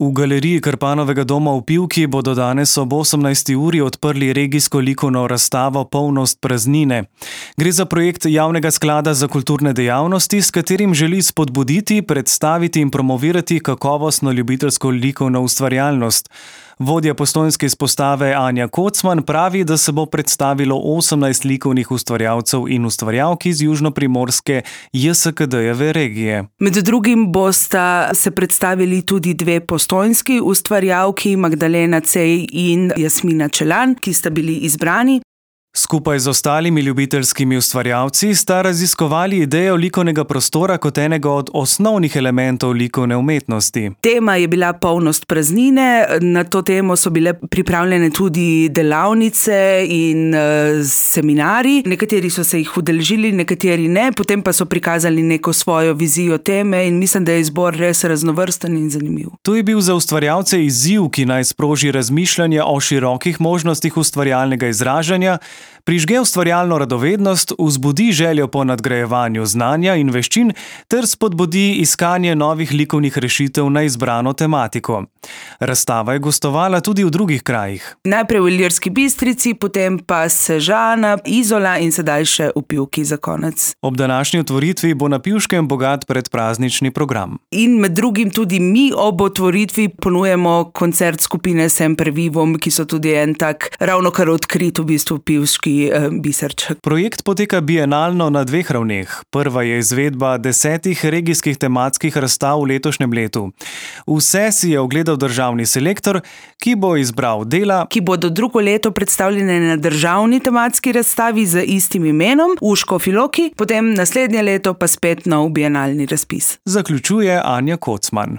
V galeriji Krpanovega doma v Pivki bodo danes ob 18. uri odprli regijsko likovno razstavo Polnost praznine. Gre za projekt Javnega sklada za kulturne dejavnosti, s katerim želi spodbuditi, predstaviti in promovirati kakovostno ljubiteljsko likovno ustvarjalnost. Vodja postojnske izpostave Anja Kocman pravi, da se bo predstavilo 18 likovnih ustvarjalcev in ustvarjalk iz južnoprimorske JSKD-jeve regije. Med drugim bosta se predstavili tudi dve postojnski ustvarjalki, Magdalena Cej in Jasmina Čelan, ki sta bili izbrani. Skupaj z ostalimi ljubiteljskimi ustvarjalci sta raziskovali idejo likovnega prostora kot enega od osnovnih elementov likovne umetnosti. Tema je bila polnost praznine, na to temo so bile pripravljene tudi delavnice in seminari. Nekateri so se jih udeležili, nekateri ne, potem pa so prikazali neko svojo vizijo teme in mislim, da je izbor res raznovrsten in zanimiv. To je bil za ustvarjalce izziv, ki naj sproži razmišljanje o širokih možnostih ustvarjalnega izražanja, prižge ustvarjalno radovednost, vzbudi željo po nadgrajevanju znanja in veščin ter spodbudi iskanje novih likovnih rešitev na izbrano tematiko. Razstava je gostovala tudi v drugih krajih. Najprej v Ilirski Bistrici, potem pa Sežana, Izola in sedaj še v Pivki za konec. Ob današnji otvoritvi bo na Pivškem bogat predpraznični program. In med drugim tudi mi ob otvoritvi ponujemo koncert skupine Semper Vivum, ki so tudi en tak ravnokar odkrit v bistvu pivški biserček. Projekt poteka bienalno na dveh ravneh. Prva je izvedba 10 regijskih tematskih razstav v letošnjem letu. Vse si je ogledal državni selektor, ki bo izbral dela, ki bodo drugo leto predstavljene na državni tematski razstavi z istim imenom v Škofji Loki, potem naslednje leto pa spet nov bienalni razpis. Zaključuje Anja Kocman.